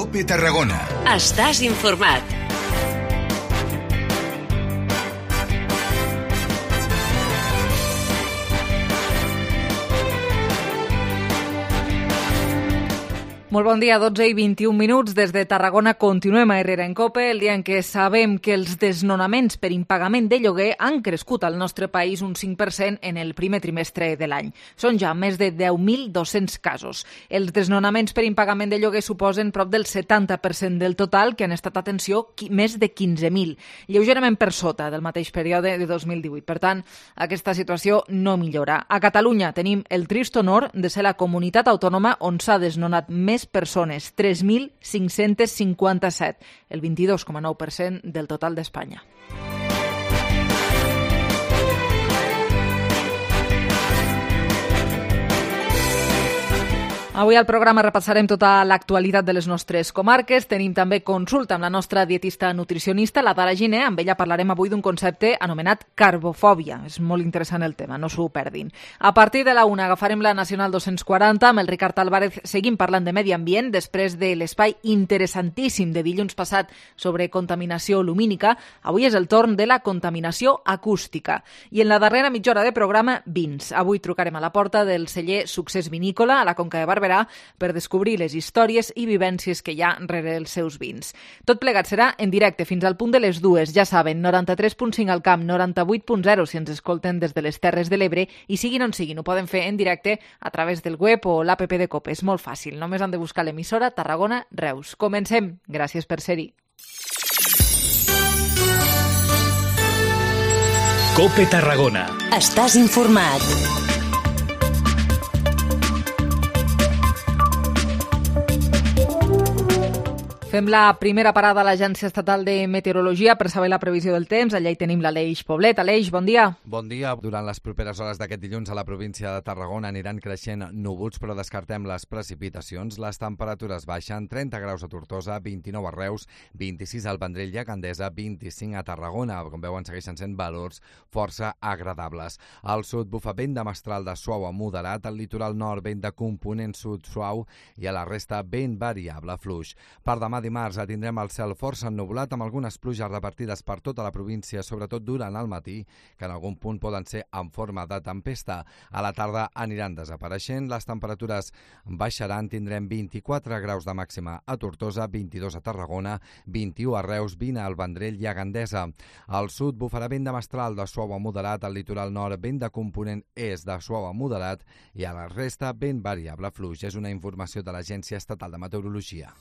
COPE Tarragona. Estàs informat. Molt bon dia, 12 i 21 minuts. Des de Tarragona continuem a Herrera en COPE, el dia en què sabem que els desnonaments per impagament de lloguer han crescut al nostre país un 5% en el primer trimestre de l'any. Són ja més de 10.200 casos. Els desnonaments per impagament de lloguer suposen prop del 70% del total, que han estat, atenció, més de 15.000, lleugerament per sota del mateix període de 2018. Per tant, aquesta situació no millora. A Catalunya tenim el trist honor de ser la comunitat autònoma on s'ha desnonat més persones, 3.557, el 22,9% del total d'Espanya. Avui al programa repassarem tota l'actualitat de les nostres comarques. Tenim també consulta amb la nostra dietista nutricionista, la Dara Giner. Amb ella parlarem avui d'un concepte anomenat carbofòbia. És molt interessant el tema, no s'ho perdin. A partir de la 1 agafarem la Nacional 240. Amb el Ricard Álvarez seguim parlant de medi ambient després de l'espai interessantíssim de dilluns passat sobre contaminació lumínica. Avui és el torn de la contaminació acústica. I en la darrera mitja hora de programa, vins. Avui trucarem a la porta del celler Succés Vinícola a la Conca de Barberà per descobrir les històries i vivències que hi ha rere els seus vins. Tot plegat serà en directe fins al punt de les 2. Ja saben, 93.5 al camp, 98.0 si ens escolten des de les Terres de l'Ebre, i siguin on siguin, ho poden fer en directe a través del web o l'APP de COPE. És molt fàcil, només han de buscar l'emissora Tarragona Reus. Comencem. Gràcies per ser-hi. COPE Tarragona. Estàs informat. Fem la primera parada a l'Agència Estatal de Meteorologia per saber la previsió del temps. Allà hi tenim l'Aleix Poblet. Aleix, bon dia. Bon dia. Durant les properes hores d'aquest dilluns a la província de Tarragona aniran creixent núvols, però descartem les precipitacions. Les temperatures baixen, 30 graus a Tortosa, 29 a Reus, 26 al Vendrell i a Gandesa, 25 a Tarragona. Com veuen, segueixen sent valors força agradables. Al sud bufa vent de mestral de suau a moderat, al litoral nord vent de component sud suau i a la resta vent variable fluix. Per demà dimarts tindrem el cel força ennublat amb algunes pluges repartides per tota la província, sobretot durant el matí, que en algun punt poden ser en forma de tempesta. A la tarda aniran desapareixent, les temperatures baixaran, tindrem 24 graus de màxima a Tortosa, 22 a Tarragona, 21 a Reus, 20 al Vendrell i a Gandesa. Al sud bufarà vent de mestral de suau a moderat, al litoral nord vent de component est de suau a moderat i a la resta vent variable fluix. És una informació de l'Agència Estatal de Meteorologia.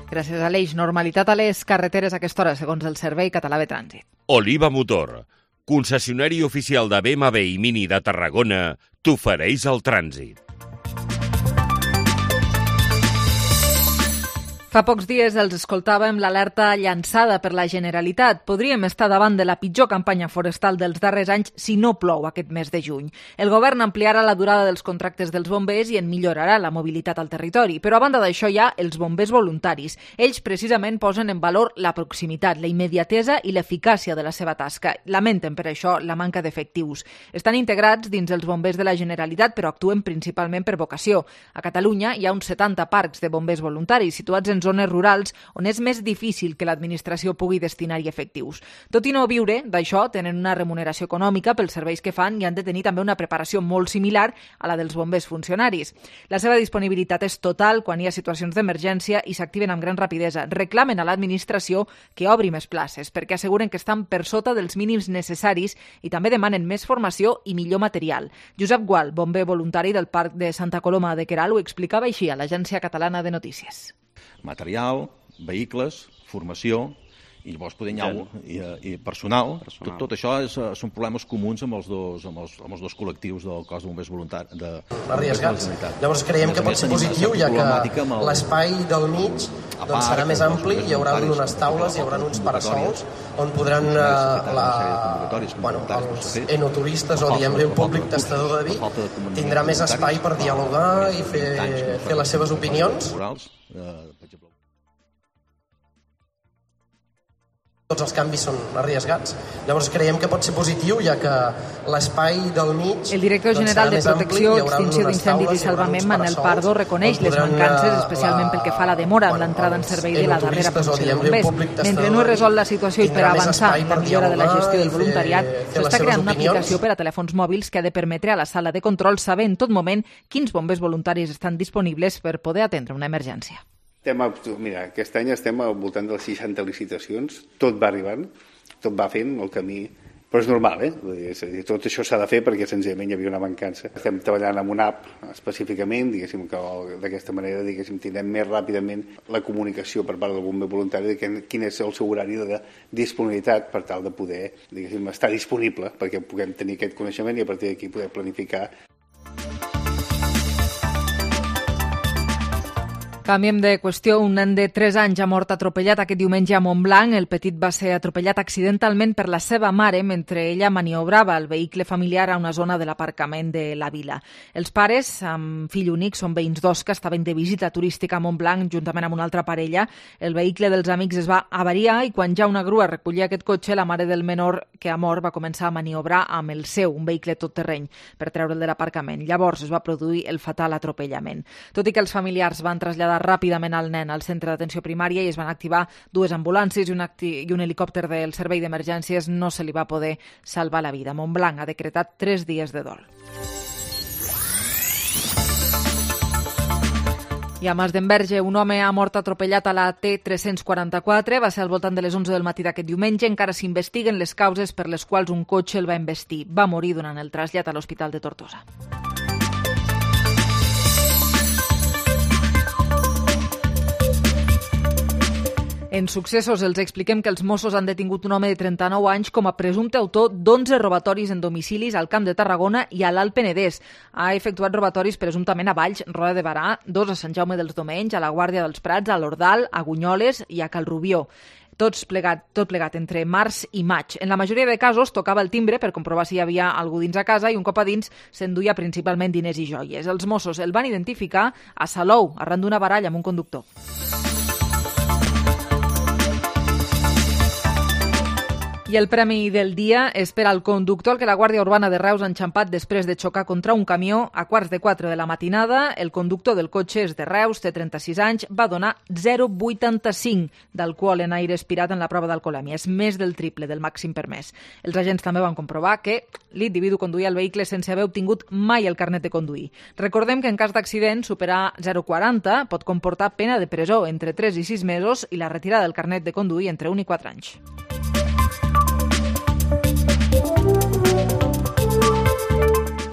Gràcies, Aleix. Normalitat a les carreteres a aquesta hora, segons el Servei Català de Trànsit. Oliva Motor, concessionari oficial de BMW i Mini de Tarragona, t'ofereix el trànsit. Fa pocs dies els escoltàvem l'alerta llançada per la Generalitat. Podríem estar davant de la pitjor campanya forestal dels darrers anys si no plou aquest mes de juny. El govern ampliarà la durada dels contractes dels bombers i en millorarà la mobilitat al territori. Però a banda d'això hi ha els bombers voluntaris. Ells precisament posen en valor la proximitat, la immediatesa i l'eficàcia de la seva tasca. Lamenten per això la manca d'efectius. Estan integrats dins els bombers de la Generalitat, però actuen principalment per vocació. A Catalunya hi ha uns 70 parcs de bombers voluntaris situats en zones rurals on és més difícil que l'administració pugui destinar-hi efectius. Tot i no viure d'això, tenen una remuneració econòmica pels serveis que fan i han de tenir també una preparació molt similar a la dels bombers funcionaris. La seva disponibilitat és total quan hi ha situacions d'emergència i s'activen amb gran rapidesa. Reclamen a l'administració que obri més places perquè asseguren que estan per sota dels mínims necessaris i també demanen més formació i millor material. Josep Gual, bomber voluntari del Parc de Santa Coloma de Queralt, ho explicava així a l'Agència Catalana de Notícies. Material, vehicles, formació, i llavors poder i personal. Tot això són problemes comuns amb els dos col·lectius del cos de bombers voluntaris. Arriesgats. Llavors creiem que pot ser positiu, ja que l'espai del mig serà més ampli, hi haurà unes taules, hi haurà uns parasols on podran els enoturistes o diguem-ne el públic tastador de vi tindrà més espai per dialogar i fer les seves opinions. Tots els canvis són arriesgats. Llavors creiem que pot ser positiu, ja que l'espai del mig... El director general de Protecció, Extinció d'Incendis i Salvament, Manel Pardo, reconeix les mancances, especialment pel que fa a la demora en l'entrada en servei de la darrera funció de bombers. Mentre no es resol la situació i per avançar en la millora de la gestió del voluntariat, s'està creant una aplicació per a telèfons mòbils que ha de permetre a la sala de control saber en tot moment quins bombers voluntaris estan disponibles per poder atendre una emergència. Mira, aquest any estem al voltant de les 60 licitacions, tot va arribant, tot va fent el camí, però és normal, És a dir, tot això s'ha de fer perquè senzillament hi havia una mancança. Estem treballant amb una app específicament, diguéssim, que d'aquesta manera tindrem més ràpidament la comunicació per part del bomber voluntari de quin és el seu horari de disponibilitat per tal de poder, estar disponible perquè puguem tenir aquest coneixement i a partir d'aquí poder planificar. Canviem de qüestió. Un nen de 3 anys ha mort atropellat aquest diumenge a Montblanc. El petit va ser atropellat accidentalment per la seva mare mentre ella maniobrava el vehicle familiar a una zona de l'aparcament de la vila. Els pares, amb fill únic, són veïns d'Osca, estaven de visita turística a Montblanc juntament amb una altra parella. El vehicle dels amics es va avariar i quan ja una grua recollia aquest cotxe, la mare del menor que ha mort va començar a maniobrar amb el seu, un vehicle tot terreny, per treure'l de l'aparcament. Llavors es va produir el fatal atropellament. Tot i que els familiars van traslladar ràpidament al nen al centre d'atenció primària i es van activar 2 ambulàncies i un helicòpter del servei d'emergències, no se li va poder salvar la vida. Montblanc ha decretat 3 dies de dol. I a Masdenverge, un home ha mort atropellat a la T344. Va ser al voltant de les 11 del matí d'aquest diumenge. Encara s'investiguen les causes per les quals un cotxe el va embestir. Va morir durant el trasllat a l'Hospital de Tortosa. En successos els expliquem que els Mossos han detingut un home de 39 anys com a presumpte autor d'11 robatoris en domicilis al Camp de Tarragona i a l'Alt Penedès. Ha efectuat robatoris presumptament a Valls, Roda de Barà, 2 a Sant Jaume dels Domenys, a la Guàrdia dels Prats, a l'Ordal, a Gunyoles i a Calrubió. Tot plegat entre març i maig. En la majoria de casos tocava el timbre per comprovar si hi havia algú dins a casa i un cop a dins s'enduia principalment diners i joies. Els Mossos el van identificar a Salou, arran d'una baralla amb un conductor. I el premi del dia és per al conductor que la Guàrdia Urbana de Reus ha enxampat després de xocar contra un camió a 3:15 de la matinada. El conductor del cotxe és de Reus, té 36 anys, va donar 0,85 d'alcohol en aire expirat en la prova d'alcoholèmia. És més del triple del màxim permès. Els agents també van comprovar que l'individu conduïa el vehicle sense haver obtingut mai el carnet de conduir. Recordem que en cas d'accident, superar 0,40 pot comportar pena de presó entre 3 i 6 mesos i la retirada del carnet de conduir entre 1 i 4 anys.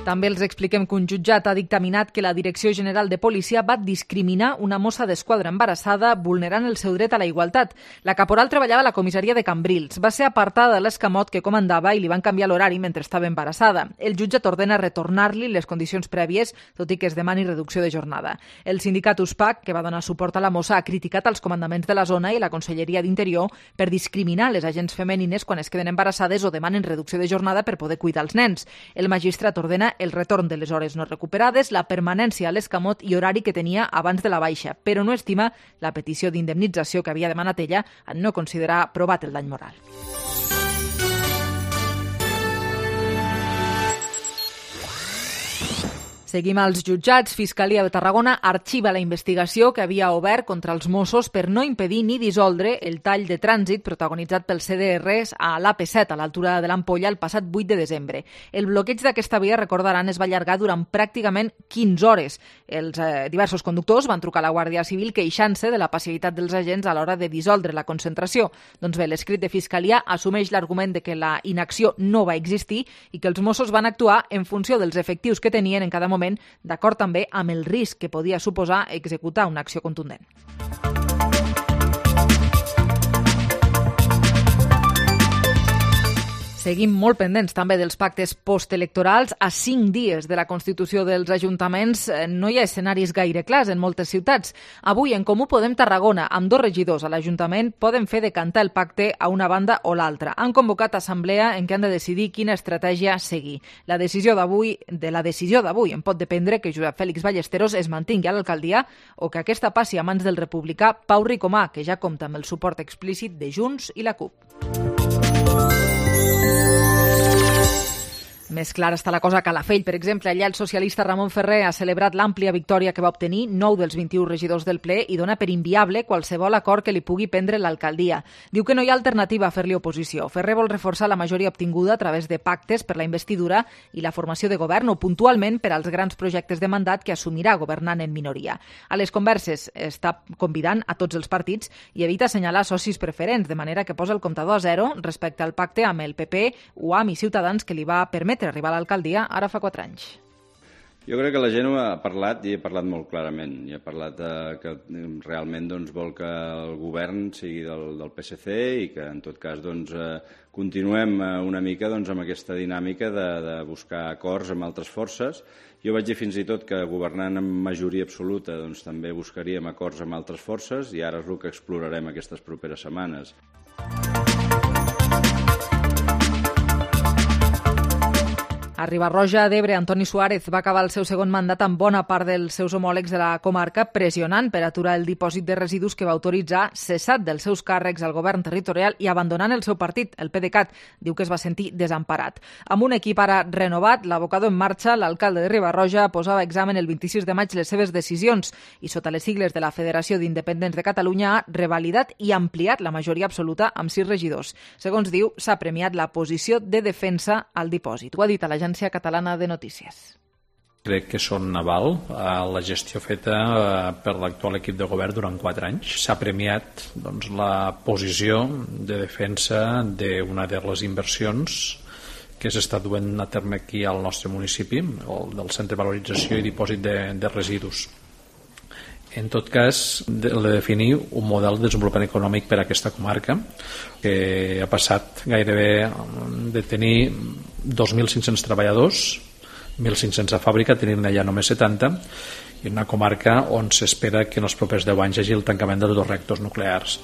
També els expliquem que un jutjat ha dictaminat que la Direcció General de Policia va discriminar una mossa d'esquadra embarassada vulnerant el seu dret a la igualtat. La caporal treballava a la comissaria de Cambrils. Va ser apartada de l'escamot que comandava i li van canviar l'horari mentre estava embarassada. El jutjat ordena retornar-li les condicions prèvies, tot i que es demani reducció de jornada. El sindicat USPAC, que va donar suport a la mossa, ha criticat els comandaments de la zona i la Conselleria d'Interior per discriminar les agents femenines quan es queden embarassades o demanen reducció de jornada per poder cuidar els nens. El magistrat ordena el retorn de les hores no recuperades, la permanència a l'escamot i horari que tenia abans de la baixa, però no estima la petició d'indemnització que havia demanat ella en no considerar provat el dany moral. Seguim als jutjats. Fiscalia de Tarragona arxiva la investigació que havia obert contra els Mossos per no impedir ni dissoldre el tall de trànsit protagonitzat pels CDRs a l'AP7 a l'altura de l'Ampolla el passat 8 de desembre. El bloqueig d'aquesta via, recordaran, es va allargar durant pràcticament 15 hores. Els diversos conductors van trucar a la Guàrdia Civil queixant-se de la passivitat dels agents a l'hora de dissoldre la concentració. Doncs bé, l'escrit de Fiscalia assumeix l'argument de que la inacció no va existir i que els Mossos van actuar en funció dels efectius que tenien en cada moment, d'acord també amb el risc que podia suposar executar una acció contundent. Seguim molt pendents també dels pactes postelectorals. A 5 dies de la constitució dels ajuntaments no hi ha escenaris gaire clars en moltes ciutats. Avui, en Comú Podem Tarragona, amb 2 regidors a l'Ajuntament, poden fer decantar el pacte a una banda o l'altra. Han convocat assemblea en què han de decidir quina estratègia seguir. De la decisió d'avui en pot dependre que Josep Fèlix Ballesteros es mantingui a l'alcaldia o que aquesta passi a mans del republicà Pau Ricomà, que ja compta amb el suport explícit de Junts i la CUP. Més clara està la cosa a Calafell, per exemple. Allà el socialista Ramon Ferrer ha celebrat l'àmplia victòria que va obtenir 9 dels 21 regidors del ple i dona per inviable qualsevol acord que li pugui prendre l'alcaldia. Diu que no hi ha alternativa a fer-li oposició. Ferrer vol reforçar la majoria obtinguda a través de pactes per la investidura i la formació de govern o puntualment per als grans projectes de mandat que assumirà governant en minoria. A les converses està convidant a tots els partits i evita assenyalar socis preferents, de manera que posa el comptador a 0 respecte al pacte amb el PP, UAM i Ciutadans que li va permetre arribar a l'alcaldia ara fa 4 anys. Jo crec que la gent ho ha parlat i ha parlat molt clarament. I ha parlat que realment vol que el govern sigui del PSC i que en tot cas continuem una mica amb aquesta dinàmica de buscar acords amb altres forces. Jo vaig dir fins i tot que governant amb majoria absoluta també buscaríem acords amb altres forces i ara és el que explorarem aquestes properes setmanes. A Riba-roja d'Ebre, Antoni Suárez va acabar el seu segon mandat amb bona part dels seus homòlegs de la comarca pressionant per aturar el dipòsit de residus que va autoritzar, cessat dels seus càrrecs al govern territorial i abandonant el seu partit, el PDeCAT. Diu que es va sentir desemparat. Amb un equip ara renovat, l'abocador en marxa, l'alcalde de Riba-roja posava a examen el 26 de maig les seves decisions i sota les sigles de la Federació d'Independents de Catalunya ha revalidat i ampliat la majoria absoluta amb 6 regidors. Segons diu, s'ha premiat la posició de defensa al dipòsit. Ho ha dit a l'Agència Catalana de Notícies. Crec que són aval a la gestió feta per l'actual equip de govern durant 4 anys. S'ha premiat la posició de defensa d'una de les inversions que s'està duent a terme aquí al nostre municipi, el del Centre de Valorització i Dipòsit de Residus. En tot cas, de definir un model de desenvolupament econòmic per a aquesta comarca que ha passat gairebé de tenir 2.500 treballadors, 1.500 a fàbrica, tenint allà només 70, i una comarca on s'espera que en els propers 10 anys hi hagi el tancament dels 2 reactors nuclears.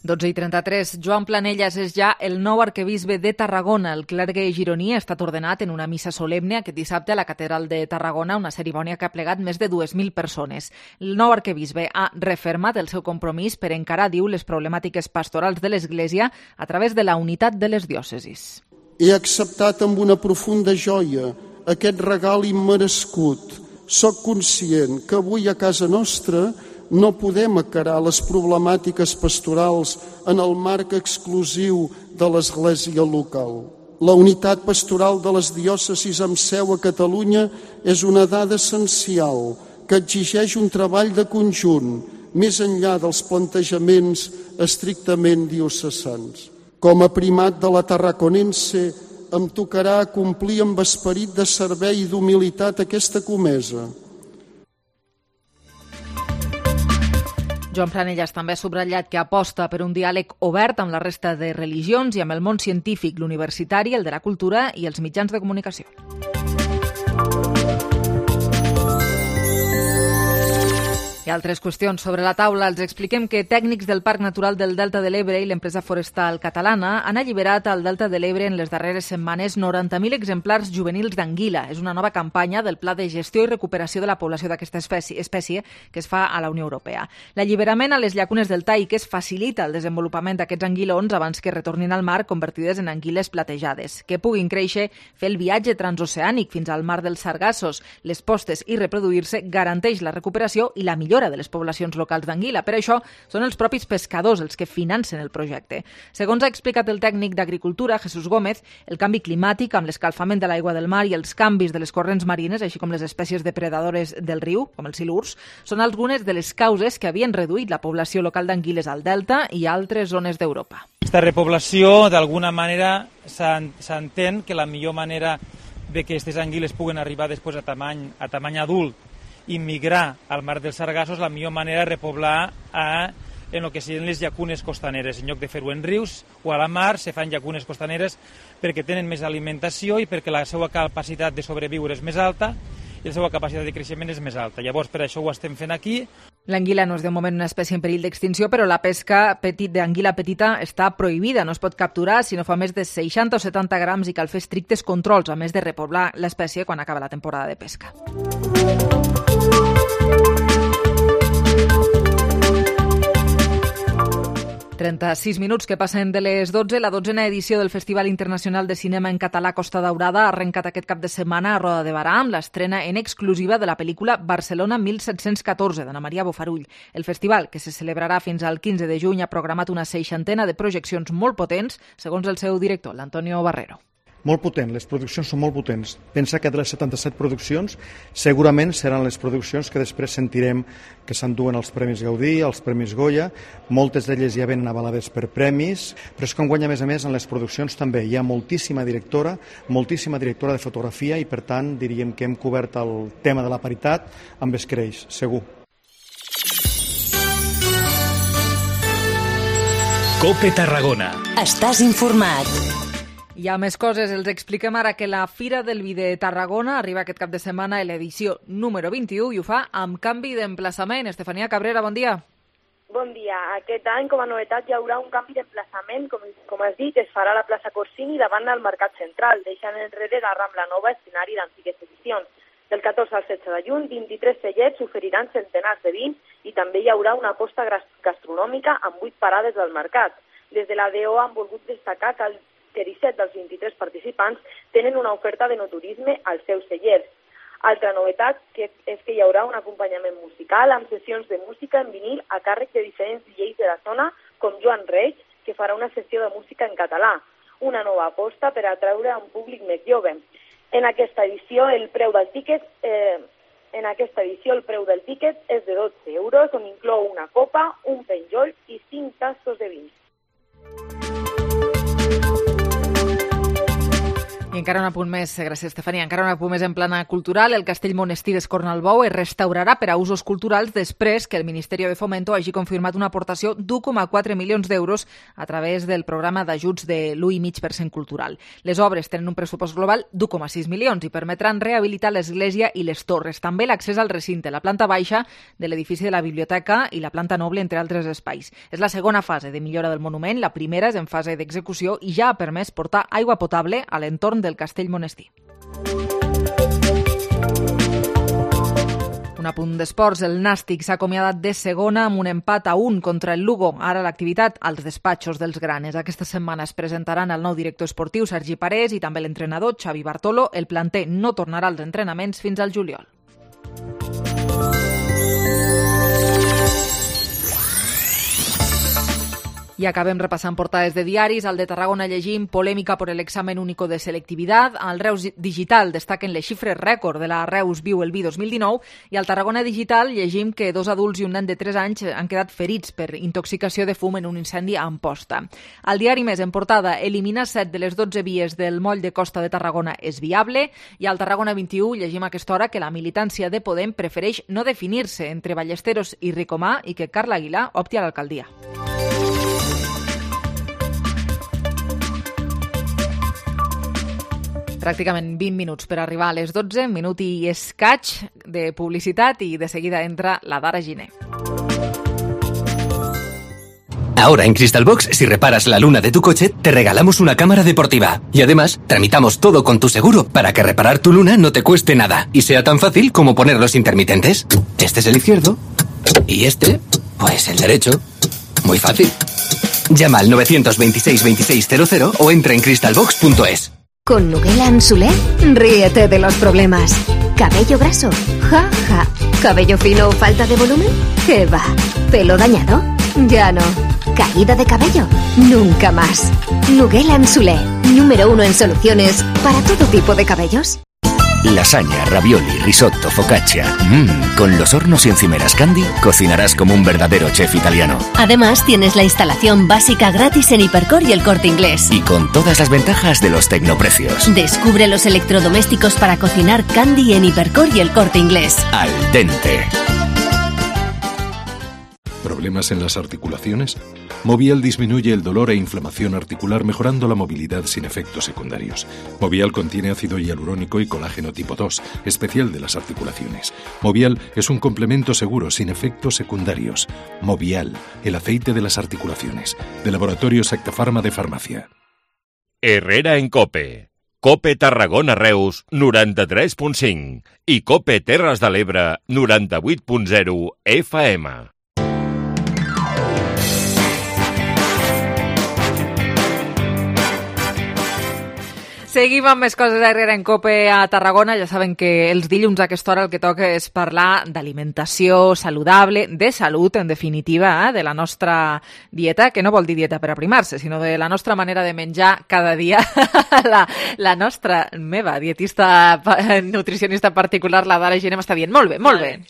i 33. Joan Planellas és ja el nou arquebisbe de Tarragona. El clergue gironí ha estat ordenat en una missa solemne aquest dissabte a la catedral de Tarragona, una cerimònia que ha plegat més de 2.000 persones. El nou arquebisbe ha refermat el seu compromís per encarar, diu, les problemàtiques pastorals de l'Església a través de la unitat de les diòcesis. He acceptat amb una profunda joia aquest regal immerescut. Soc conscient que avui a casa nostra no podem encarar les problemàtiques pastorals en el marc exclusiu de l'Església local. La unitat pastoral de les diòcesis amb seu a Catalunya és una dada essencial que exigeix un treball de conjunt, més enllà dels plantejaments estrictament diocesans. Com a primat de la Tarraconense, em tocarà complir amb esperit de servei i d'humilitat aquesta comesa. Joan Planellas també ha subratllat que aposta per un diàleg obert amb la resta de religions i amb el món científic, l'universitari, el de la cultura i els mitjans de comunicació. I altres qüestions sobre la taula. Els expliquem que tècnics del Parc Natural del Delta de l'Ebre i l'empresa forestal catalana han alliberat al Delta de l'Ebre en les darreres setmanes 90.000 exemplars juvenils d'anguila. És una nova campanya del Pla de Gestió i Recuperació de la Població d'aquesta espècie que es fa a la Unió Europea. L'alliberament a les llacunes del Taïques facilita el desenvolupament d'aquests anguilons abans que retornin al mar convertides en anguiles platejades, que puguin créixer, fer el viatge transoceànic fins al mar dels Sargassos, les postes i reproduir-se garanteix la recuperació i la millora de les poblacions locals d'anguila. Per això són els propis pescadors els que financen el projecte. Segons ha explicat el tècnic d'Agricultura, Jesús Gómez, el canvi climàtic amb l'escalfament de l'aigua del mar i els canvis de les corrents marines, així com les espècies depredadores del riu, com els silurs, són algunes de les causes que havien reduït la població local d'anguiles al Delta i a altres zones d'Europa. Aquesta repoblació, d'alguna manera, s'entén que la millor manera de que aquestes anguiles puguen arribar després a tamany adult immigrar al mar dels Sargassos, la millor manera de repoblar en el que serien les llacunes costaneres. En lloc de fer-ho en rius o a la mar, se fan llacunes costaneres perquè tenen més alimentació i perquè la seva capacitat de sobreviure és més alta i la seva capacitat de creixement és més alta. Llavors, per això ho estem fent aquí. L'anguila no és de moment una espècie en perill d'extinció, però la pesca d'anguila petita està prohibida. No es pot capturar si no fa més de 60 o 70 grams i cal fer estrictes controls, a més de repoblar l'espècie quan acaba la temporada de pesca. 36 minuts que passen de les 12. La 12a edició del Festival Internacional de Cinema en Català Costa Daurada ha arrencat aquest cap de setmana a Roda de Barà amb l'estrena en exclusiva de la pel·lícula Barcelona 1714, d'Anna Maria Bofarull. El festival, que se celebrarà fins al 15 de juny, ha programat una 60 de projeccions molt potents, segons el seu director, l'Antonio Barrero. Molt potent, les produccions són molt potents. Pensa que de les 77 produccions segurament seran les produccions que després sentirem que s'enduen els Premis Gaudí, els Premis Goya, moltes d'elles ja venen avalades per premis, però és que enguany a més en les produccions també hi ha moltíssima directora de fotografia i per tant diríem que hem cobert el tema de la paritat amb escreix, segur. COPE Tarragona. Estàs informat. Hi ha més coses, els expliquem ara que la Fira del Vi de Tarragona arriba aquest cap de setmana a l'edició número 21 i ho fa amb canvi d'emplaçament. Estefania Cabrera, bon dia. Bon dia. Aquest any, com a novetat, hi haurà un canvi d'emplaçament. Com has dit, es farà a la plaça Corsini davant del Mercat Central, deixant enrere la Rambla Nova, escenari d'antigues edicions. Del 14 al 16 de juny, 23 cellets oferiran centenars de vins i també hi haurà una costa gastronòmica amb 8 parades del mercat. Des de la DO han volgut destacar que 17 dels 23 participants tenen una oferta de no-turisme als seus cellers. Altra novetat és que hi haurà un acompanyament musical amb sessions de música en vinil a càrrec de diferents DJs de la zona, com Joan Reig, que farà una sessió de música en català, una nova aposta per atraure a un públic més jove. En aquesta edició el preu del tíquet és de 12 euros, on inclou una copa, un penjoll i 5 tassos de vins. I encara un apunt més, gràcies Estefania, encara un apunt més en plana cultural. El Castell Monestir d'Escornalbou es restaurarà per a usos culturals després que el Ministeri de Fomento hagi confirmat una aportació d'1,4 milions d'euros a través del programa d'ajuts de l'1,5% cultural. Les obres tenen un pressupost global d'1,6 milions i permetran rehabilitar l'església i les torres. També l'accés al recinte, la planta baixa de l'edifici de la biblioteca i la planta noble, entre altres espais. És la segona fase de millora del monument, la primera és en fase d'execució i ja ha permès portar aigua potable a l'entorn del Castell Monestir. Un apunt d'esports, el Nàstic s'ha acomiadat de segona amb un empat a 1 contra el Lugo. Ara l'activitat als despatxos dels granes. Aquesta setmana es presentaran el nou director esportiu Sergi Parés i també l'entrenador Xavi Bartolo. El planter no tornarà als entrenaments fins al juliol. I acabem repassant portades de diaris. Al de Tarragona llegim polèmica por el examen único de selectividad. Al Reus Digital destaquen les xifres rècord de la Reus Viu el Vi 2019 i al Tarragona Digital llegim que 2 adults i un nen de 3 anys han quedat ferits per intoxicació de fum en un incendi a Amposta. Al diari Més en portada, eliminar 7 de les 12 vies del moll de costa de Tarragona és viable i al Tarragona 21 llegim a aquesta hora que la militància de Podem prefereix no definir-se entre Ballesteros i Ricomà i que Carla Aguilar opti a l'alcaldia. Pràcticament 20 minuts per arribar a les 12, minut i escaig de publicitat i de seguida entra la Dara Giner. Ahora en Crystalbox, si reparas la luna de tu coche, te regalamos una cámara deportiva. Y además, tramitamos todo con tu seguro para que reparar tu luna no te cueste nada y sea tan fácil como poner los intermitentes. Este es el izquierdo y este, pues el derecho. Muy fácil. Llama al 926 2600 o entra en crystalbox.es. Con Nuguela Soler, ríete de los problemas. ¿Cabello graso? Ja, ja. ¿Cabello fino o falta de volumen? ¿Qué va? ¿Pelo dañado? Ya no. ¿Caída de cabello? Nunca más. Nuguela Soler, número 1 en soluciones para todo tipo de cabellos. Lasaña, ravioli, risotto, focaccia. Con los hornos y encimeras Candy cocinarás como un verdadero chef italiano. Además, tienes la instalación básica gratis en Hipercor y El Corte Inglés. Y con todas las ventajas de los tecnoprecios. Descubre los electrodomésticos para cocinar Candy en Hipercor y El Corte Inglés. Al dente. ¿Problemas en las articulaciones? Movial disminuye el dolor e inflamación articular mejorando la movilidad sin efectos secundarios. Movial contiene ácido hialurónico y colágeno tipo 2, especial de las articulaciones. Movial es un complemento seguro sin efectos secundarios. Movial, el aceite de las articulaciones. De Laboratorio Secta Pharma de Farmacia. Herrera en COPE. COPE Tarragona Reus 93.5 i COPE Terres de l'Ebre 98.0 FM. Seguim amb més coses d'Herrera en COPE a Tarragona. Ja saben que els dilluns a aquesta hora el que toca és parlar d'alimentació saludable, de salut, en definitiva, de la nostra dieta, que no vol dir dieta per aprimar-se, sinó de la nostra manera de menjar cada dia. La meva dietista nutricionista particular, la Dara Giner, m'està dient molt bé.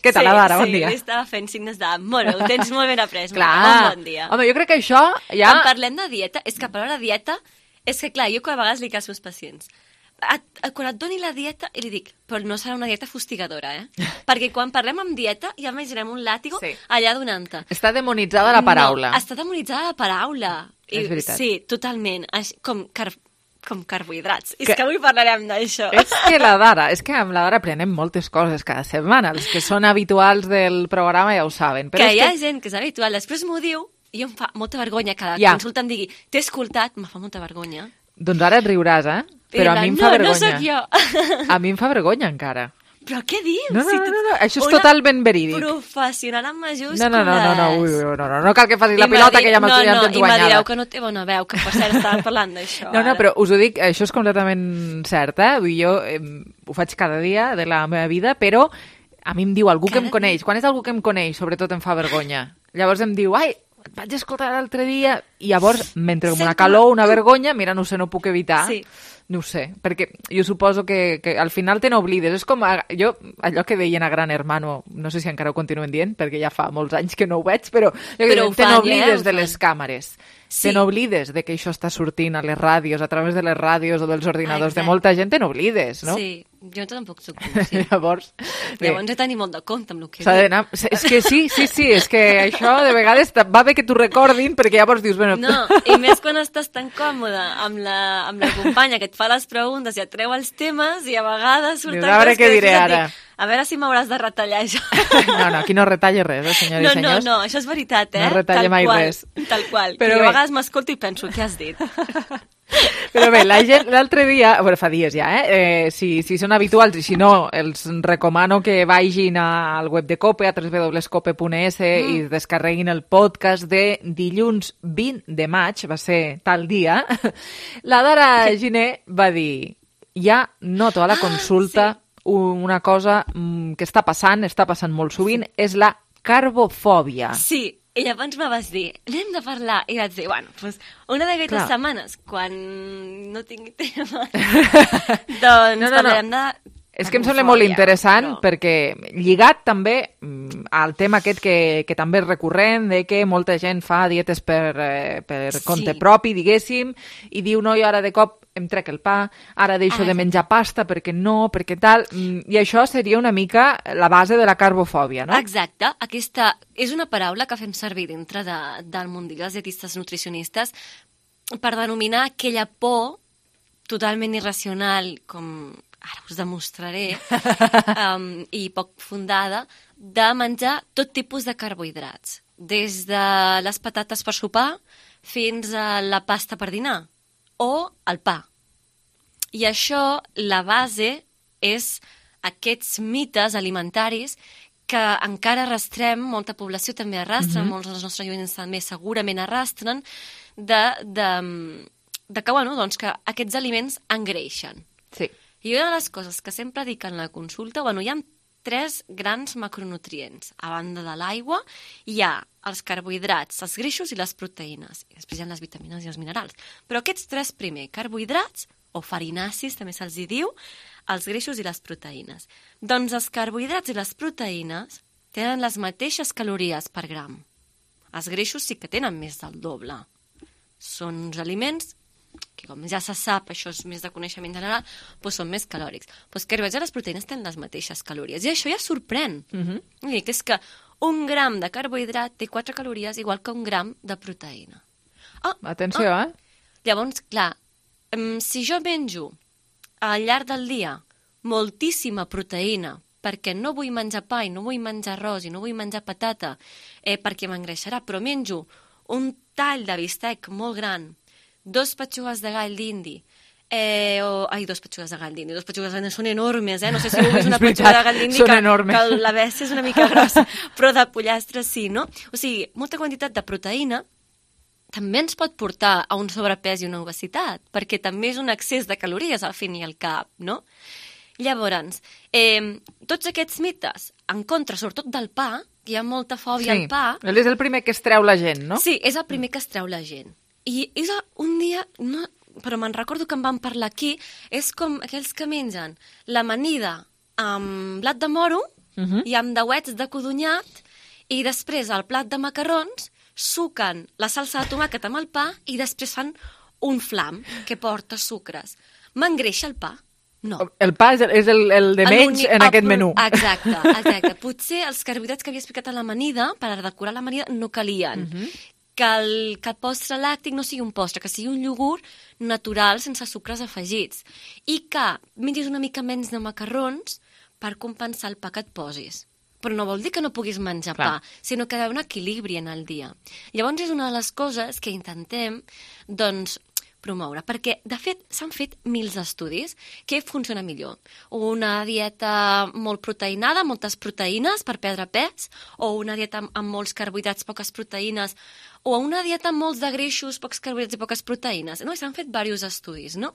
Què tal, la Dara? Bon dia. Sí, estava fent signes de molt bé, ho tens molt ben après. Clar. Bon dia. Home, jo crec que això ja... Quan parlem de dieta, és que a parlar de dieta... És que, clar, jo cada vegades li dic als meus pacients, quan et doni la dieta, i li dic, però no serà una dieta fustigadora, Perquè quan parlem amb dieta ja imaginem un làtigo allà donant-te. Està demonitzada la paraula. No, està demonitzada la paraula. És veritat. Sí, totalment. Com carbohidrats. És que avui parlarem d'això. És que amb la Dara aprenem moltes coses cada setmana. Els que són habituals del programa ja ho saben. Però hi ha gent que és habitual, després m'ho diu, i em fa molta vergonya que cada consulta em digui t'he escoltat, em fa molta vergonya. Doncs ara et riuràs, Però a mi em fa vergonya. No sóc jo. A mi em fa vergonya encara. Però què dius? No, això és totalment verídic. Professional amb majúscules. No cal que facis la pilota, que ja tens guanyada. I m'adireu que no té bona veu, que per cert estàvem parlant d'això. No, però us ho dic, això és completament cert, Vull dir, jo ho faig cada dia de la meva vida, però a mi em diu algú que em coneix. Quan és algú que em coneix, sobretot em fa vergonya. Llavors em diu, et vaig escoltar l'altre dia, i llavors m'entra com una calor, una vergonya, mira, no puc evitar. Sí. No ho sé, perquè jo suposo que al final te n'oblides. És com allò que deien a Gran Hermano, no sé si encara ho continuen dient, perquè ja fa molts anys que no ho veig, però te n'oblides de les càmeres. Te n'oblides de que això està sortint a les ràdios, a través de les ràdios o dels ordinadors de molta gent, te n'oblides, no? Sí, jo tampoc soc conscient. Llavors he de tenir molt de compte amb el que dic. És que sí, és que això de vegades va bé que t'ho recordin, perquè llavors dius... No, i més quan estàs tan còmode amb la companya que et fa les preguntes i et treu els temes, i a vegades surten coses a veure què diré ara. A veure si m'hauràs de retallar això. No, aquí no retalla res, senyores i senyors. No, això és veritat, No retalla mai res. Tal qual. Però a vegades m'escolto i penso, què has dit? Però bé, la gent l'altre dia, fa dies ja, si són habituals, i si no, els recomano que vagin al web de COPE, a www.cope.es, i descarreguin el podcast de dilluns 20 de maig, va ser tal dia. La Dara Giner va dir, ja noto a la consulta una cosa que està passant molt sovint, és la carbofòbia. Sí, i llavors me vas dir, n'hem de parlar, i vaig dir, una d'aquestes setmanes, quan no tingui tema, doncs parlarem de... És que em sembla molt interessant, perquè lligat també al tema aquest que també és recurrent, de que molta gent fa dietes per compte propi, diguéssim, i diu, no, jo ara de cop em trec el pa, ara deixo de menjar pasta perquè tal, i això seria una mica la base de la carbofòbia, no? Exacte, aquesta és una paraula que fem servir dintre del mundillo dels dietistes nutricionistes per denominar aquella por totalment irracional, com ara us demostraré, i poc fundada, de menjar tot tipus de carbohidrats, des de les patates per sopar fins a la pasta per dinar, o el pa. I això, la base, és aquests mites alimentaris que encara arrastrem, molta població també arrastra, molts dels nostres oients també segurament arrastren, que aquests aliments engreixen. Sí. I una de les coses que sempre dic en la consulta, hi ha 3 grans macronutrients. A banda de l'aigua, hi ha els carbohidrats, els greixos i les proteïnes. I després hi ha les vitamines i els minerals. Però aquests 3 primers, carbohidrats, o farinacis, també se'ls hi diu, els greixos i les proteïnes. Doncs els carbohidrats i les proteïnes tenen les mateixes calories per gram. Els greixos sí que tenen més del doble. Són uns aliments que, com ja se sap, això és més de coneixement general, doncs són més calòrics. Doncs carbohidrats i les proteïnes tenen les mateixes calories. I això ja sorprèn. Que és que un gram de carbohidrat té 4 calories igual que un gram de proteïna. Atenció, Llavors, clar, si jo menjo al llarg del dia moltíssima proteïna perquè no vull menjar pa i no vull menjar arròs i no vull menjar patata perquè m'engreixarà, però menjo un tall de bistec molt gran, 2 petxugues de gall d'indi, 2 petxugues de gall d'indi. 2 petxugues de gall d'indi són enormes, no sé si heu vist una petxuga de gall d'indi que la bèstia és una mica grossa, però de pollastre sí, no? O sigui, molta quantitat de proteïna també ens pot portar a un sobrepès i una obesitat, perquè també és un excés de calories al fin i al cap, no? Llavors, tots aquests mites, en contra, sobretot del pa, que hi ha molta fòbia al pa... Sí, és el primer que es treu la gent, no? Sí, és el primer que es treu la gent. I és un dia, però me'n recordo que en vam parlar aquí, és com aquells que mengen l'amanida amb blat de moro i amb dauets de codonyat i després al plat de macarrons suquen la salsa de tomàquet amb el pa i després fan un flam que porta sucres. M'engreixa el pa? No. El pa és el de menys en aquest menú. Exacte. Potser els carbohidrats que havia explicat a l'amanida, per decorar l'amanida, no calien. Que el postre làctic no sigui un postre, que sigui un iogurt natural sense sucres afegits. I que mengis una mica menys de macarrons per compensar el pa que et posis. Però no vol dir que no puguis menjar pa, sinó que hi ha un equilibri en el dia. Llavors és una de les coses que intentem, doncs, promoure, perquè, de fet, s'han fet mils d'estudis. Què funciona millor? Una dieta molt proteinada, moltes proteïnes per perdre pes, o una dieta amb molts carbohidrats, poques proteïnes, o una dieta amb molts de greixos, pocs carbohidrats i poques proteïnes. No? S'han fet diversos estudis, no?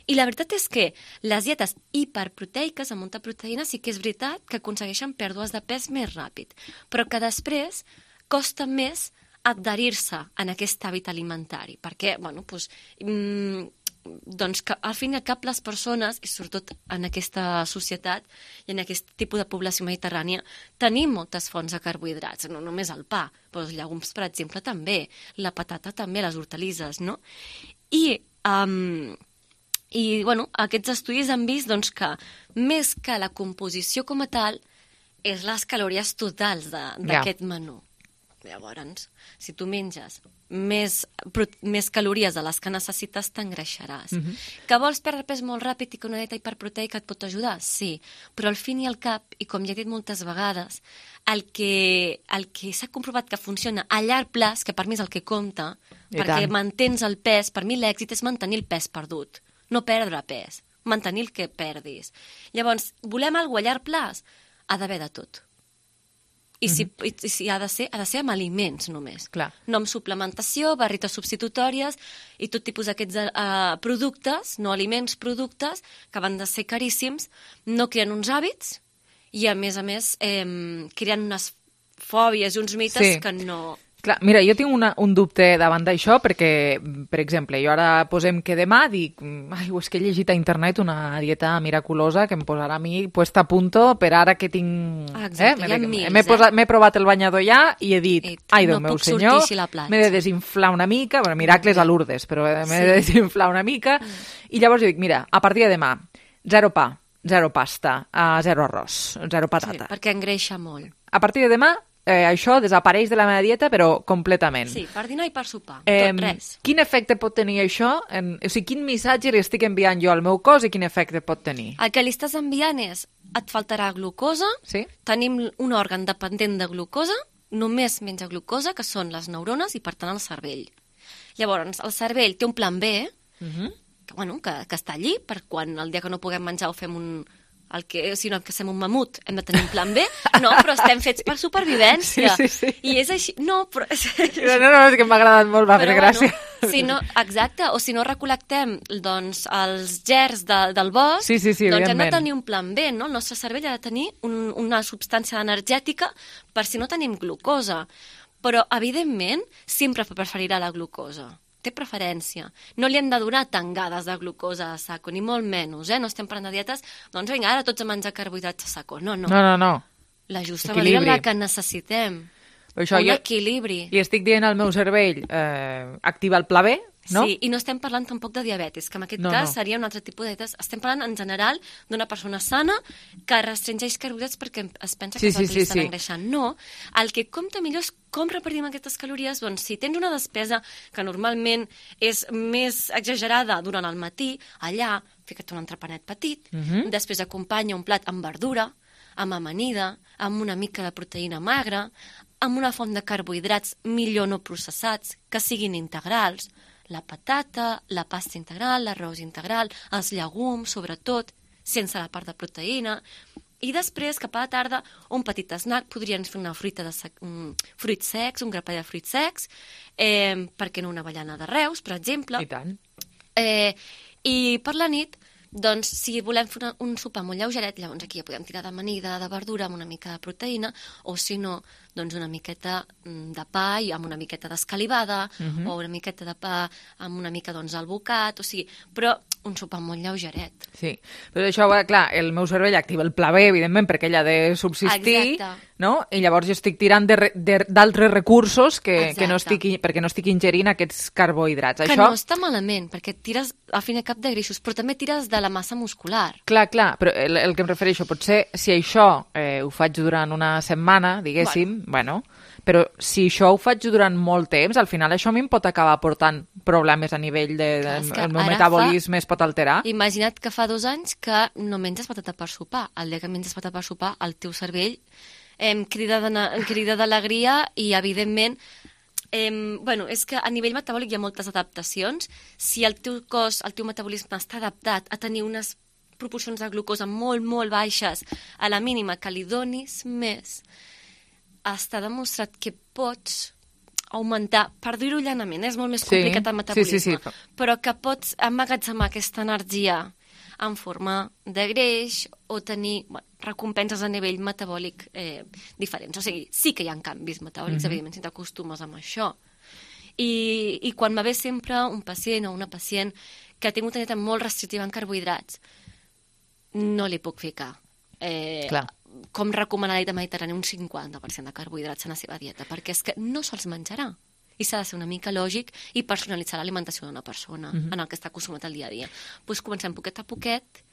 I la veritat és que les dietes hiperproteiques amb molta proteïna sí que és veritat que aconsegueixen pèrdues de pes més ràpid, però que després costa més adherir-se en aquest hàbit alimentari, perquè, doncs que al fin i al cap les persones, i sobretot en aquesta societat i en aquest tipus de població mediterrània, tenim moltes fonts de carbohidrats, no només el pa, però els llegums, per exemple, també, la patata també, les hortalisses, no? I aquests estudis han vist doncs, que més que la composició com a tal, és les calories totals d'aquest menú. Llavors, si tu menges més calories de les que necessites, t'engreixaràs. Que vols perdre pes molt ràpid i que una dieta hiperproteica et pot ajudar? Sí, però al fin i al cap, i com ja he dit moltes vegades, el que s'ha comprovat que funciona a llarg plaç, que per mi és el que compta, perquè mantens el pes, per mi l'èxit és mantenir el pes perdut, no perdre pes, mantenir el que perdis. Llavors, volem alguna cosa a llarg plaç? Ha d'haver de tot. I si ha de ser amb aliments només. No amb suplementació, barrites substitutòries i tot tipus d'aquests productes, no aliments, productes, que van de ser caríssims, no creen uns hàbits i, a més, creen unes fòbies i uns mites que no... Clar, mira, jo tinc un dubte davant d'això perquè, per exemple, jo ara posem que demà dic, és que he llegit a internet una dieta miraculosa que em posarà a mi puesta a punto per ara que tinc... Exacte, m'he provat el banyador ja i he dit, ai, Déu meu senyor, m'he de desinflar una mica, bueno, miracles a Lourdes, però m'he de desinflar una mica, i llavors jo dic, mira, a partir de demà, 0 pa, 0 pasta, 0 arròs, 0 patata. Sí, perquè engreixa molt. A partir de demà, això desapareix de la meva dieta, però completament. Sí, per dinar i per sopar, tot res. Quin efecte pot tenir això? O sigui, quin missatge li estic enviant jo al meu cos i quin efecte pot tenir? El que li estàs enviant és, et faltarà glucosa, tenim un òrgan dependent de glucosa, només menja glucosa, que són les neurones i, per tant, el cervell. Llavors, el cervell té un plan B, que està allí, per quan el dia que no puguem menjar o fem si no, que fem un mamut, hem de tenir un plan B. No, però estem fets per supervivència. Sí. I és així. No, però... No, és que m'ha agradat molt, va fer gràcia. Exacte, o si no recol·lectem els gerds del bosc, doncs hem de tenir un plan B, no? El nostre cervell ha de tenir una substància energètica per si no tenim glucosa. Però, evidentment, sempre preferirà la glucosa. té preferència. No li han de donar tangades de glucosa a saco, ni molt menys, no estem parlant de dietes, doncs vinga, ara tots a menjar carbohidrats a saco. No. La justa manera en la que necessitem. Un equilibri. I estic dient al meu cervell, activa el pla B, no? Sí, i no estem parlant tampoc de diabetis, que en aquest cas seria un altre tipus de dietes. Estem parlant en general d'una persona sana que restringeix carbohidrats perquè es pensa que s'estan engreixant. No, el que compta millor és com repartim aquestes calories. Doncs si tens una despesa que normalment és més exagerada durant el matí, allà fica't un entrepanet petit, després acompanya un plat amb verdura, amb amanida, amb una mica de proteïna magra, amb una font de carbohidrats millor no processats, que siguin integrals, la patata, la pasta integral, l'arròs integral, els llegums, sobretot, sense la part de proteïna. I després, cap a la tarda, un petit snack, podrien fer una fruita de fruits secs, un grapall de fruits secs, per què no una avellana de Reus, per exemple. I tant. I per la nit, doncs, si volem fer un sopar molt lleugeret, llavors aquí ja podem tirar d'amanida, de verdura, amb una mica de proteïna, o si no, doncs una miqueta de pa i amb una miqueta d'escalivada, o una miqueta de pa amb una mica albocat, o sigui, però un sopar molt lleugeret. Sí, però això, clar, el meu cervell activa el pla B, evidentment, perquè ell ha de subsistir, no? I llavors jo estic tirant d'altres recursos perquè no estic ingerint aquests carbohidrats. Que no està malament, perquè tires al fin i al cap de greixos, però també tires de la massa muscular. Clar, però el que em refereixo, potser si això ho faig durant una setmana, diguéssim, però si això ho faig durant molt temps, al final això a mi em pot acabar portant problemes a nivell del meu metabolisme, es pot alterar. Imagina't que fa 2 anys que no menges patata per sopar. El dia que menges patata per sopar, el teu cervell crida d'alegria i, evidentment, és que a nivell metabòlic hi ha moltes adaptacions. Si el teu cos, el teu metabolisme està adaptat a tenir unes proporcions de glucosa molt, molt baixes, a la mínima que li donis més, està demostrat que pots augmentar, per dir-ho llanament, és molt més complicat el metabolisme, però que pots emmagatzemar aquesta energia en forma de greix o tenir recompenses a nivell metabòlic diferents. O sigui, sí que hi ha canvis metabòlics, evidentment, si t'acostumes amb això. I quan me ve sempre un pacient o una pacient que ha tingut una dieta molt restrictiva en carbohidrats, no li puc ficar com recomana la dieta mediterrània un 50% de carbohidrats en la seva dieta, perquè és que no se'ls menjarà. I s'ha de ser una mica lògic i personalitzar l'alimentació d'una persona en el que està acostumat al dia a dia. Doncs comencem poquet a poquet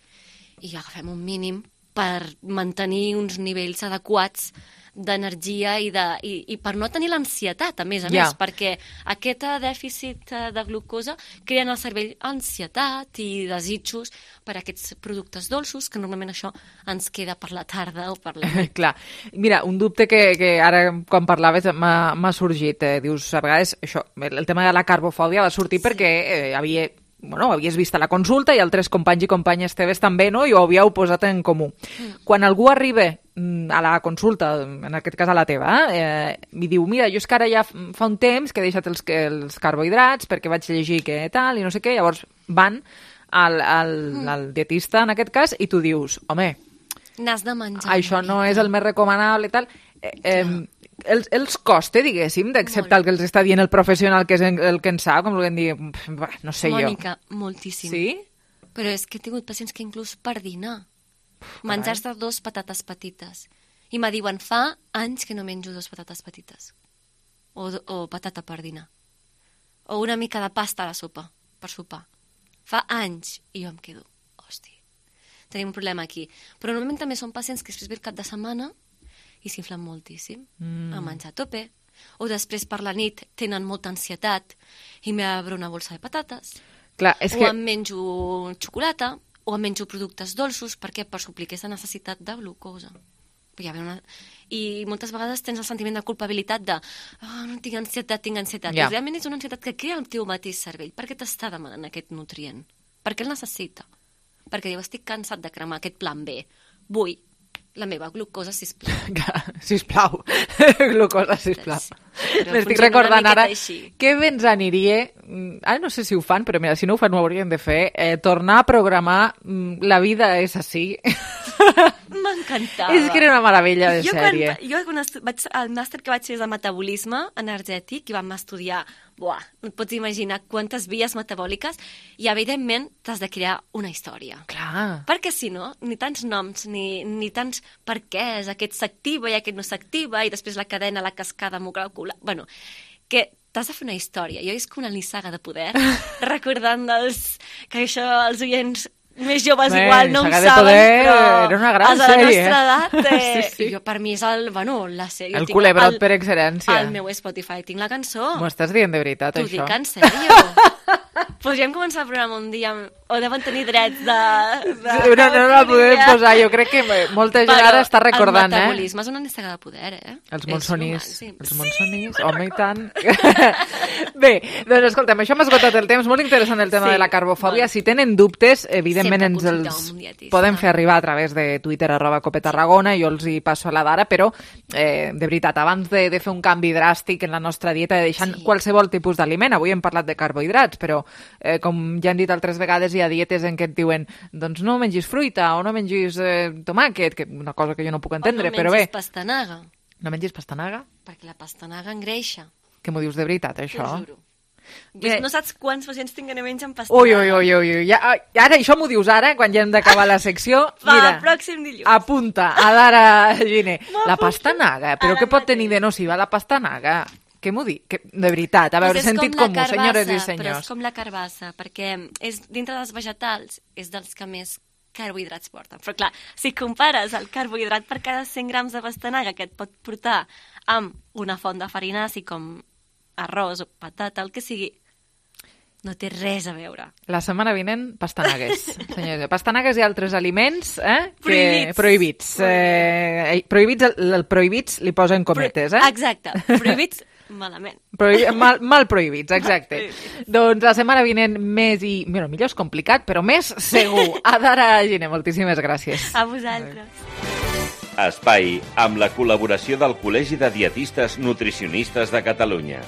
i agafem un mínim per mantenir uns nivells adequats d'energia i per no tenir l'ansietat, a més, perquè aquest dèficit de glucosa crea en el cervell ansietat i desitjos per aquests productes dolços, que normalment això ens queda per la tarda o per la nit. Clar. Mira, un dubte que ara, quan parlaves, m'ha sorgit. Dius, a vegades, això, el tema de la carbofòbia va sortir perquè havies vist a la consulta i altres companys i companyes teves també, no? I ho havíeu posat en comú. Quan algú arriba a la consulta, en aquest cas a la teva, i diu, mira, jo és que ara ja fa un temps que he deixat els carbohidrats perquè vaig llegir que tal i no sé què, llavors van al dietista, en aquest cas, i tu dius, home, n'has de menjar. Això no és el més recomanable i tal. Els costa, diguéssim, d'acceptar el que els està dient el professional, que és el que en sap, com volem dir, no sé jo. Mònica, moltíssim. Sí? Però és que he tingut pacients que inclús per dinar, menjars de 2 patates petites. I me diuen, fa anys que no menjo 2 patates petites. O patata per dinar. O una mica de pasta a la sopa, per sopar. Fa anys. I jo em quedo, hòstia, tenim un problema aquí. Però normalment també són pacients que després ve el cap de setmana i s'inflen moltíssim a menjar a tope. O després per la nit tenen molta ansietat i m'obre una bolsa de patates. Clar, o em menjo xocolata, o em menjo productes dolços, perquè per suplir aquesta necessitat de glucosa. I moltes vegades tens el sentiment de culpabilitat de no tinc ansietat. I realment és una ansietat que crea el teu mateix cervell. Per què t'està demanant aquest nutrient? Per què el necessita? Perquè diu, estic cansat de cremar aquest plan B. Vull la meva glucosa, sisplau. Sisplau. Glucosa, sisplau. M'estic recordant ara que bé ens aniria, ara no sé si ho fan, però mira, si no ho fan ho haurien de fer, tornar a programar La vida és així. m'encantava. És que era una meravella de sèrie. El màster que vaig fer és de metabolisme energètic i vam estudiar, no et pots imaginar quantes vies metabòliques i, evidentment, t'has de crear una història. Clar. Perquè, si no, ni tants noms, ni tants per què aquest s'activa i aquest no s'activa i després la cadena, la cascada molecular... Bueno, que t'has de fer una història. Jo és com una nissaga de poder, recordant que això els oients més joves igual no ho saben, però era una gran a la sèrie, nostra edat, sí. Jo, per mi és la sèrie. El culebrot per excel·lència. Al meu Spotify tinc la cançó. M'ho estàs dient de veritat, això? T'ho dic en sèrio. Podríem començar el programa un dia, o deuen tenir drets de... No la podem posar, jo crec que molta gent ara està recordant, El metabolisme és una nissaga de poder, Els monsonís, home, i tant. Bé, doncs escolta'm, això m'ha esgotat el temps, molt interessant el tema de la carbofòbia. Si tenen dubtes, evidentment ens els poden fer arribar a través de Twitter, @copetarragona, jo els hi passo a la d'ara, però de veritat, abans de fer un canvi dràstic en la nostra dieta, deixant qualsevol tipus d'aliment, avui hem parlat de carbohidrats, però com ja han dit altres vegades, hi ha dietes en què et diuen doncs no mengis fruita o no mengis tomàquet, que una cosa que jo no puc entendre, però bé. O no mengis pastanaga. No mengis pastanaga? Perquè la pastanaga engreixa. Que m'ho dius de veritat, això? T'ho juro. No saps quants pacients tinc que no mengen pastanaga. Ui. Ara, això m'ho dius ara, quan ja hem d'acabar la secció. Mira, pròxim dilluns. Apunta, a Dara Giner. La pastanaga, però què pot tenir de nociva la pastanaga? Què m'ho dic? De veritat, a veure, sentit comú, senyores i senyors. Però és com la carbassa, perquè dintre dels vegetals és dels que més carbohidrats porten. Però clar, si compares el carbohidrat per cada 100 grams de pastanaga que et pot portar amb una font de farinaci com arròs o patata, el que sigui, no té res a veure. La setmana vinent, pastanagues. Senyors, pastanagues i altres aliments prohibits. El prohibits li posen cometes, Exacte, prohibits malament. Mal prohibits, exacte. Doncs la setmana vinent millor és complicat, però més segur. Adara Giner, moltíssimes gràcies. A vosaltres. Espai amb la col·laboració del Col·legi de Dietistes Nutricionistes de Catalunya.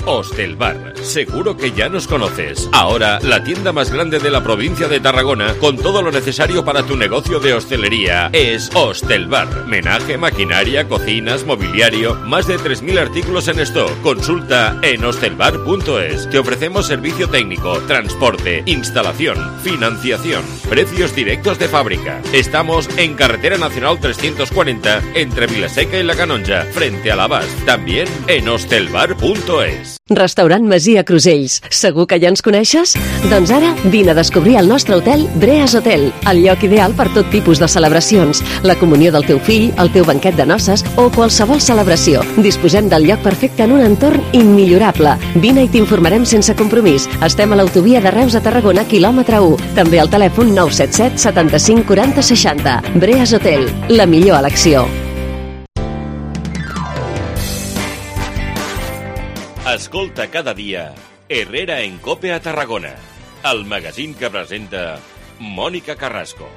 Hostelbar, seguro que ya nos conoces. Ahora, la tienda más grande de la provincia de Tarragona, con todo lo necesario para tu negocio de hostelería, es Hostelbar. Menaje, maquinaria, cocinas, mobiliario, más de 3.000 artículos en stock. Consulta en hostelbar.es. Te ofrecemos servicio técnico, transporte, instalación, financiación, precios directos de fábrica. Estamos en Carretera Nacional 340, entre Vilaseca y La Canonja, frente a l'Abast. También en hostelbar.es. Restaurant Masia Crusells. Segur que ja ens coneixes? Doncs ara vine a descobrir el nostre hotel Breas Hotel, el lloc ideal per tot tipus de celebracions, la comunió del teu fill, el teu banquet de noces o qualsevol celebració. Disposem del lloc perfecte en un entorn immillorable. Vine i t'informarem sense compromís. Estem a l'autovia de Reus a Tarragona, quilòmetre 1. També al telèfon 977 75 40 60. Breas Hotel, la millor elecció. Escolta cada dia Herrera en Cope a Tarragona, el magazín que presenta Mònica Carrasco.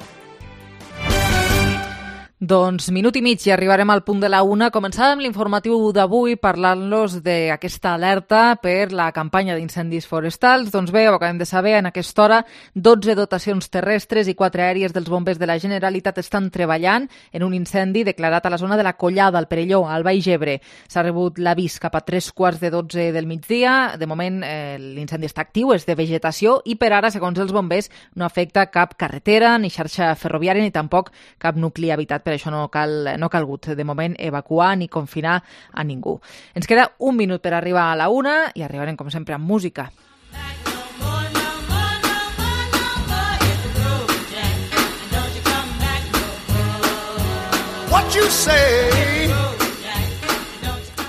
Doncs minut i mig i arribarem al punt de la 1. Començàvem l'informatiu d'avui parlant-los d'aquesta alerta per la campanya d'incendis forestals. Doncs bé, ho acabem de saber, en aquesta hora 12 dotacions terrestres i 4 aèries dels bombers de la Generalitat estan treballant en un incendi declarat a la zona de la Collada, al Perelló, al Baix Ebre. S'ha rebut l'avís cap a 3:15 del migdia. De moment l'incendi està actiu, és de vegetació i per ara, segons els bombers, no afecta cap carretera, ni xarxa ferroviària, ni tampoc cap nucli habitat. Per això no ha calgut de moment evacuar ni confinar a ningú. Ens queda un minut per arribar a la 1 i arribarem, com sempre, amb música.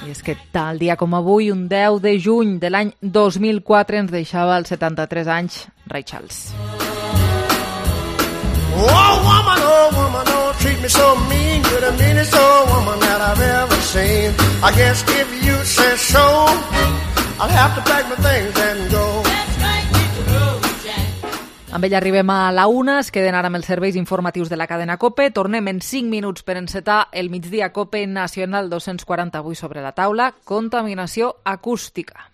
I és que tal dia com avui, un 10 de juny de l'any 2004, ens deixava als 73 anys Ray Charles. Oh woman, don't treat me so mean. You're the meanest old woman that I've ever seen. I guess if you say so, I'll have to pack my things and go. Let's right, hit the road, Jack. Amb ell arribem a la 1, es queden ara amb els serveis informatius de la cadena COPE. Tornem en 5 minuts per encetar el migdia COPE nacional 240 avui sobre la taula, contaminació acústica.